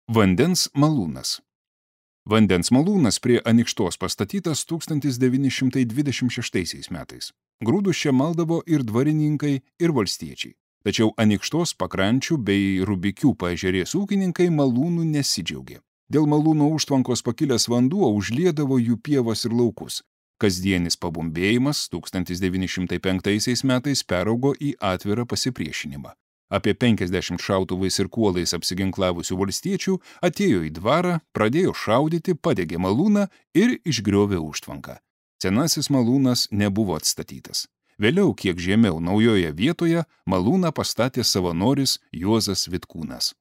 Vandens malūnas. Vandens malūnas prie Anykštos pastatytas 1926 metais. Grūdus čia maldavo ir dvarininkai, ir valstiečiai. Tačiau Anykštos pakrančių bei Rubikių paežerės ūkininkai malūnų nesidžiaugė. Dėl malūno užtvankos pakilęs vanduo užliedavo jų pievas ir laukus. Kasdienis pabumbėjimas 1905 metais peraugo į atvirą pasipriešinimą. Apie 50 šautuvais ir kuolais apsiginklavusių valstiečių atėjo į dvarą, pradėjo šaudyti, padegė malūną ir išgriovė užtvanką. Senasis malūnas nebuvo atstatytas. Vėliau, kiek žemiau naujoje vietoje, malūną pastatė savanoris Juozas Vitkūnas.